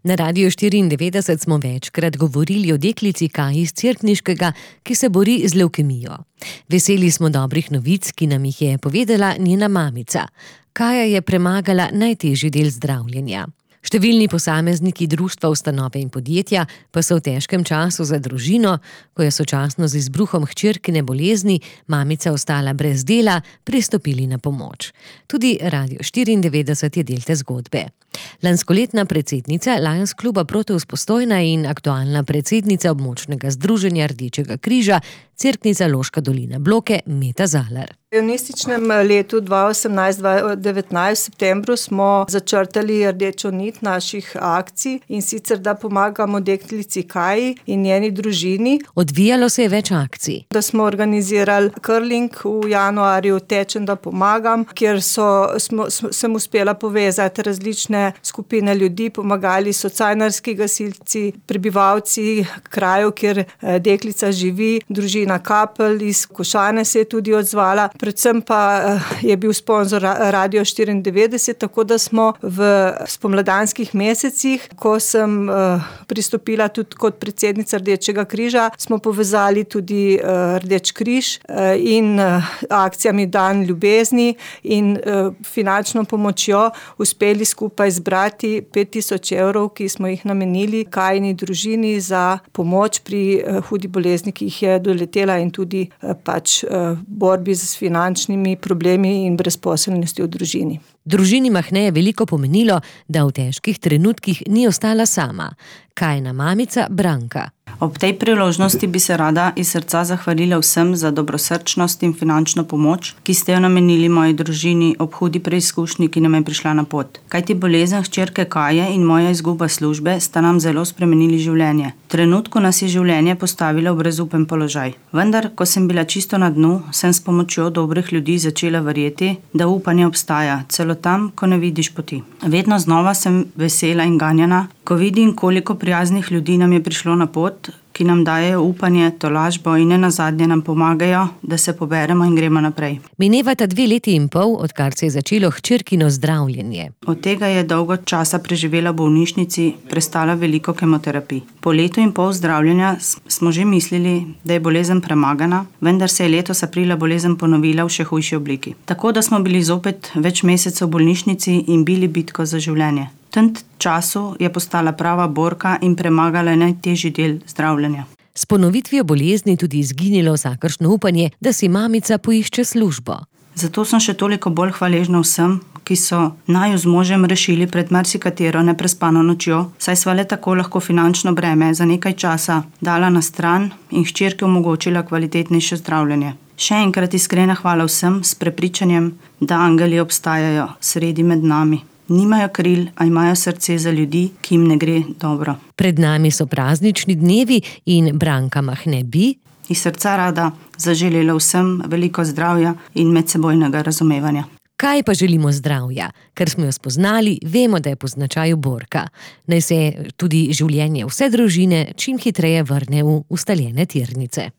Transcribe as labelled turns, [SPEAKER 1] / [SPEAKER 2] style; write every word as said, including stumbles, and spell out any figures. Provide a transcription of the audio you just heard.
[SPEAKER 1] Na Radiu štiriindevetdeset smo večkrat govorili o deklici Kaji iz Cerkniškega, ki se bori z levkemijo. Veseli smo dobrih novic, ki nam jih je povedala njena mamica. Kaja je premagala najtežji del zdravljenja. Številni posamezniki društva, ustanove in podjetja pa so v težkem času za družino, ko je sočasno z izbruhom hčerkine bolezni mamica ostala brez dela, pristopili na pomoč. Tudi Radio štiriindevetdeset je del te zgodbe. Lanskoletna predsednica Lions kluba Proteus Postojna in aktualna predsednica območnega združenja Rdečega križa Cerknica Loška dolina Bloke Meta Zalar.
[SPEAKER 2] V ionističnem letu dva osemnajst dva devetnajst v septembru smo začrtali rdečo nit naših akcij, in sicer da pomagamo deklici Kaji in njeni družini.
[SPEAKER 1] Odvijalo se je več akcij.
[SPEAKER 2] Da smo organizirali curling v januarju, Tečem, da pomagam, kjer so, smo, sem uspela povezati različne skupine ljudi, pomagali so cajnarski gasilci, prebivalci krajev, kjer deklica živi, družina Kapelj iz Košane se je tudi odzvala. Predvsem pa je bil sponzor Radio štiriindevetdeset, tako da smo v spomladanskih mesecih, ko sem pristopila tudi kot predsednica Rdečega križa, smo povezali tudi Rdeč križ in akcijami Dan ljubezni in finančno pomočjo uspeli skupaj zbrati pet tisoč evrov, ki smo jih namenili Kajini družini za pomoč pri hudi bolezni, ki jih je doletela, in tudi pač borbi z finančnimi problemi in brezposelnosti v družini.
[SPEAKER 1] Družini Mahne je veliko pomenilo, da v težkih trenutkih ni ostala sama. Kajina mamica Branka.
[SPEAKER 3] Ob tej priložnosti bi se rada iz srca zahvalila vsem za dobrosrčnost in finančno pomoč, ki ste jo namenili moji družini ob hudi preizkušnji, ki nam je prišla na pot. Kajti bolezen hčerke Kaje in moja izguba službe sta nam zelo spremenili življenje. V trenutku nas je življenje postavilo v brezupen položaj. Vendar, ko sem bila čisto na dnu, sem s pomočjo dobrih ljudi začela verjeti, da upanje obstaja, celo tam, ko ne vidiš poti. Vedno znova sem vesela in ganjena, ko vidim, koliko prijaznih ljudi nam je prišlo na pot, ki nam dajejo upanje, tolažbo in nenazadnje nam pomagajo, da se poberemo in gremo naprej.
[SPEAKER 1] Minevata dve leti in pol, odkar se je začelo hčerkino zdravljenje.
[SPEAKER 3] Od tega je dolgo časa preživela v bolnišnici, prestala veliko kemoterapij. Po letu in pol zdravljenja smo že mislili, da je bolezen premagana, vendar se je letos aprila bolezen ponovila v še hujši obliki. Tako da smo bili zopet več mesecev v bolnišnici in bili bitko za življenje. V tem času je postala prava borka in premagala najtežji del zdravljenja.
[SPEAKER 1] S ponovitvijo bolezni tudi izginilo vsakršno upanje, da si mamica poišče službo.
[SPEAKER 3] Zato sem še toliko bolj hvaležna vsem, ki so naju z možem rešili pred marsikatero neprespano nočjo, saj sva le tako lahko finančno breme za nekaj časa dala na stran in hčerki omogočila kvalitetnejše zdravljenje. Še enkrat iskrena hvala vsem s prepričanjem, da angeli obstajajo sredi med nami. Nimajo kril, a imajo srce za ljudi, ki jim ne gre dobro.
[SPEAKER 1] Pred nami so praznični dnevi in Branka Mahne bi
[SPEAKER 3] iz srca rada zaželela vsem veliko zdravja in medsebojnega razumevanja.
[SPEAKER 1] Kaj pa želimo zdravja? Ker smo jo spoznali, vemo, da je po značaju borka. Naj se tudi življenje vse družine čim hitreje vrne v ustaljene tirnice.